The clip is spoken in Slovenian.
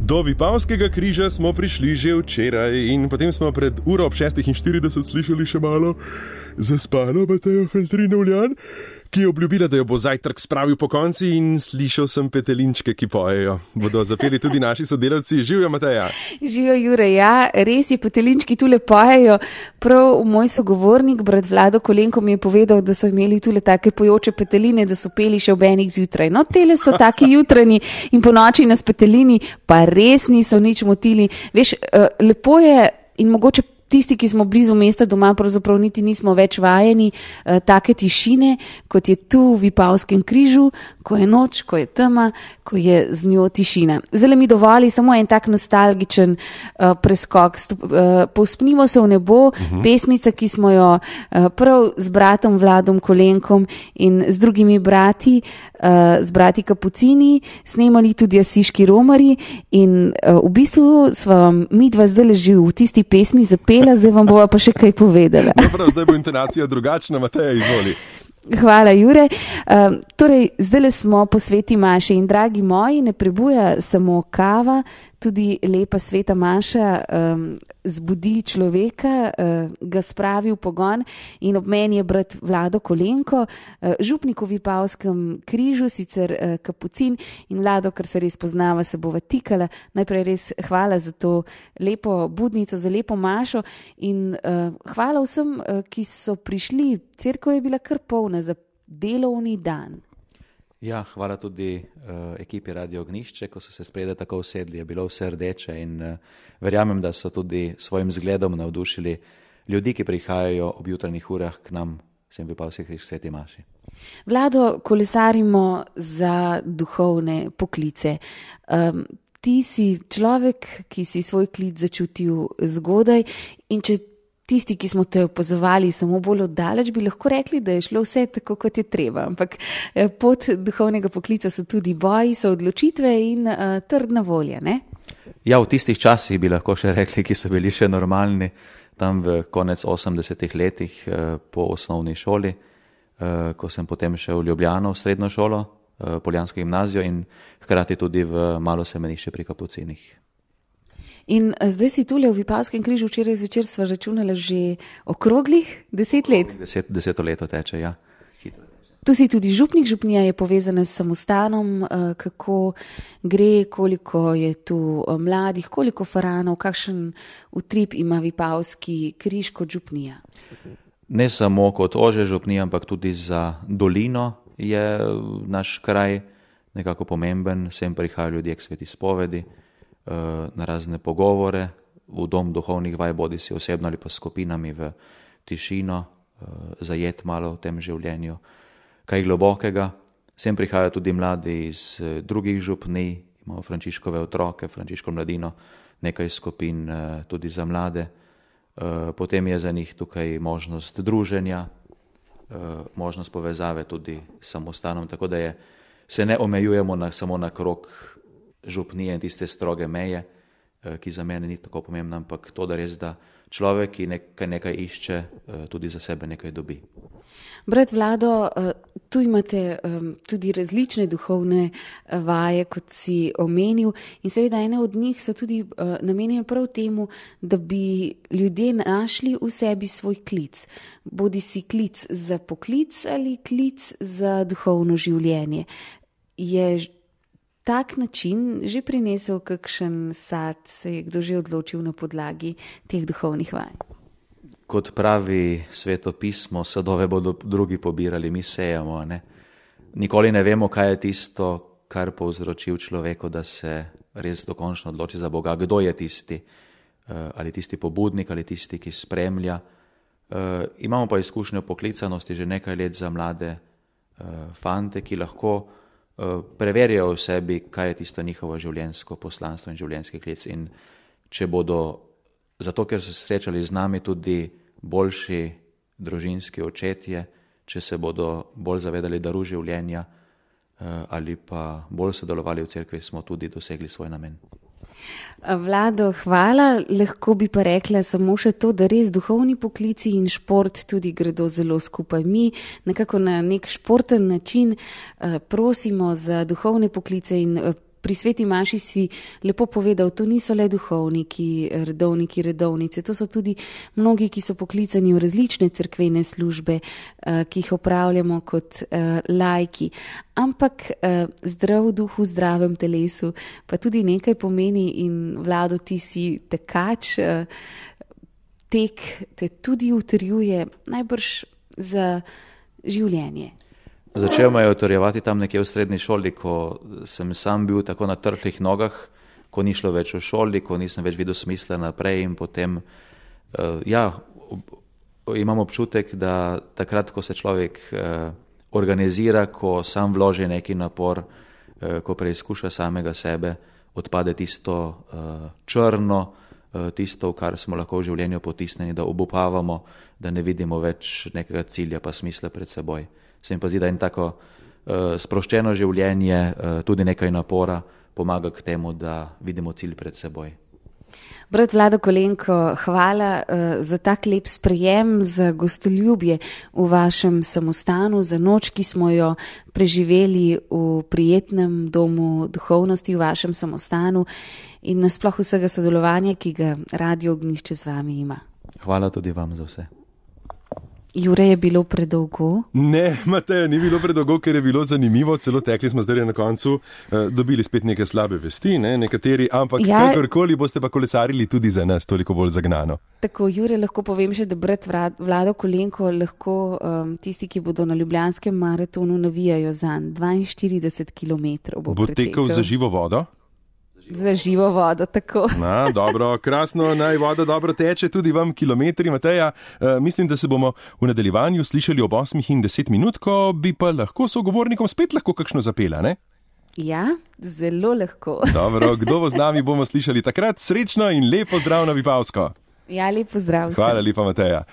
Do Vipavskega križa smo prišli že včeraj in potem smo pred uro ob 6:40 slišali še malo zaspano Matejo Feltrin-Uljan, ki je obljubila, da jo bo zajtrk spravil po konci, in slišal sem petelinčke, ki pojejo. Bodo zapeli tudi naši sodelavci. Živjo, Mateja. Živijo, Jure. Ja, res je, petelinčki tule pojejo. Prav moj sogovornik, brat Vlado Kolenko, mi je povedal, da so imeli tule take pojoče peteline, da so peli še ob enih zjutraj. No, tele so taki jutranji in po noči nas petelini pa res niso nič motili. Veš, lepo je in mogoče tisti, ki smo blizu mesta doma, pravzaprav niti nismo več vajeni take tišine, kot je tu v Vipavskem križu, ko je noč, ko je tema, ko je z njo tišina. Zdaj mi dovoli samo en tak nostalgičen preskok. Povzpnimo se v nebo, pesmica, ki smo jo prav z bratom Vladom Kolenkom in z drugimi brati, z brati Kapucini, snemali tudi Asiški romari in v bistvu sva mi dva zdaj leži v tisti pesmi zapela, zdaj vam bova pa še kaj povedala. Prav, zdaj bo intonacija drugačna, Mateja, izvoli. Hvala, Jure. Torej, zdaj smo po sveti maši in dragi moji, ne prebuja samo kava, tudi lepa sveta maša zbudi človeka, ga spravi v pogon in ob meni je brat Vlado Kolenko, župnik v Vipavskem križu, sicer Kapucin, in Vlado, ker se res poznava, se bova tikala. Najprej res hvala za to lepo budnico, za lepo mašo in hvala vsem, ki so prišli. Cerkev je bila kar polna za delovni dan. Ja, hvala tudi ekipi Radio Ognišče, ko so se spredaj tako usedli, je bilo vse rdeče in verjamem, da so tudi svojim zgledom navdušili ljudi, ki prihajajo ob jutranjih urah k nam, sem Vipavski križ sveti maši. Vlado, kolesarimo za duhovne poklice. Ti si človek, ki si svoj klic začutil zgodaj, in če tisti, ki smo te opazovali samo bolj oddaleč, bi lahko rekli, da je šlo vse tako, kot je treba. Ampak pot duhovnega poklica so tudi boji, so odločitve in trdna volja, ne? Ja, v tistih časih bi lahko še rekli, ki so bili še normalni, tam v konec 80-ih letih po osnovni šoli, ko sem potem šel v Ljubljano v srednjo šolo, Poljansko gimnazijo in hkrati tudi v malo semenišče pri Kapucinih. In zdaj si tule v Vipavskem križu, včeraj zvečer sva računala že okroglih 10 let. 10 leto teče, ja. Hitro teče. Tu si tudi župnik, župnija je povezana s samostanom, kako gre, koliko je tu mladih, koliko faranov, kakšen utrip ima Vipavski križ kot župnija? Ne samo kot ožja župnija, ampak tudi za dolino je naš kraj nekako pomemben, sem prihajajo ljudje k sveti spovedi, na razne pogovore, v dom duhovnih vaj, bodi si osebno ali pa skupinami v tišino, zajet malo v tem življenju, kaj globokega. Sem prihajajo tudi mladi iz drugih župnij, imamo Frančiškove otroke, Frančiško mladino, nekaj skupin tudi za mlade. Potem je za njih tukaj možnost druženja, možnost povezave tudi s samostanom, tako da se ne omejujemo samo na krog župnije in tiste stroge meje, ki za mene ni tako pomembna, ampak to, da res, da človek, ki nekaj išče, tudi za sebe nekaj dobi. Brat Vlado, tu imate tudi različne duhovne vaje, kot si omenil, in seveda ene od njih so tudi namenjene prav temu, da bi ljudje našli v sebi svoj klic. Bodi si klic za poklic ali klic za duhovno življenje. Je tak način že prinesel kakšen sad, se je kdo že odločil na podlagi teh duhovnih vaj? Kot pravi Sveto pismo, sadove bodo drugi pobirali, mi sejamo, ne? Nikoli ne vemo, kaj je tisto, kar povzroči v človeku, da se res dokončno odloči za Boga. Kdo je tisti? Ali tisti pobudnik, ali tisti, ki spremlja. Imamo pa izkušnjo poklicanosti že nekaj let za mlade fante, ki lahko preverjajo v sebi, kaj je tisto njihovo življenjsko poslanstvo in življenjski klic. In če bodo, zato ker so se srečali z nami tudi boljši družinski očetje, če se bodo bolj zavedali daru življenja ali pa bolj sodelovali v cerkvi, smo tudi dosegli svoj namen. Vlado, hvala. Lahko bi pa rekla samo še to, da res duhovni poklici in šport tudi gredo zelo skupaj. Mi nekako na nek športen način prosimo za duhovne poklice in pri Sveti Maši si lepo povedal, to niso le duhovniki, redovnice, to so tudi mnogi, ki so poklicani v različne cerkvene službe, ki jih opravljamo kot laiki. Ampak zdrav duh v zdravem telesu pa tudi nekaj pomeni in Vlado, ti si tekač, tek te tudi utrjuje najbrž za življenje. Začel me je utrjevati tam nekje v srednji šoli, ko sem sam bil tako na trhlih nogah, ko ni šlo več v šoli, ko nisem več videl smisla naprej in potem, imam občutek, da takrat, ko se človek organizira, ko sam vloži neki napor, ko preizkuša samega sebe, odpade tisto črno, tisto, v kar smo lahko v življenju potisnjeni, da obupavamo, da ne vidimo več nekega cilja pa smisla pred seboj. Se mi pa zdi, da in tako sproščeno življenje, tudi nekaj napora pomaga k temu, da vidimo cilj pred seboj. Brat Vlado Kolenko, hvala za tak lep sprejem, za gostoljubje v vašem samostanu, za noč, ki smo jo preživeli v prijetnem domu duhovnosti v vašem samostanu in nasploh vsega sodelovanja, ki ga Radio Ognjišče z vami ima. Hvala tudi vam za vse. Jure, je bilo predolgo? Ne, Mateja, ni bilo predolgo, ker je bilo zanimivo, celo tekli smo zdaj na koncu, dobili spet neke slabe vesti, nekateri, ampak kakorkoli boste pa kolesarili tudi za nas, toliko bolj zagnano. Tako, Jure, lahko povem še, da brat Vlado Kolenko lahko tisti, ki bodo na Ljubljanskem maratonu, navijajo zanj 42 kilometrov. Bo tekel za živo vodo? Za živo vodo, tako. Na, dobro, krasno, naj voda dobro teče, tudi vam kilometri, Mateja. Mislim, da se bomo v nadaljevanju slišali ob 8:10, ko bi pa lahko sogovornikom spet lahko kakšno zapela, ne? Ja, zelo lahko. Dobro, kdo bo z nami, bomo slišali takrat. Srečno in lepo zdrav na Vipavsko. Ja, lepo zdrav. Hvala lepa, Mateja.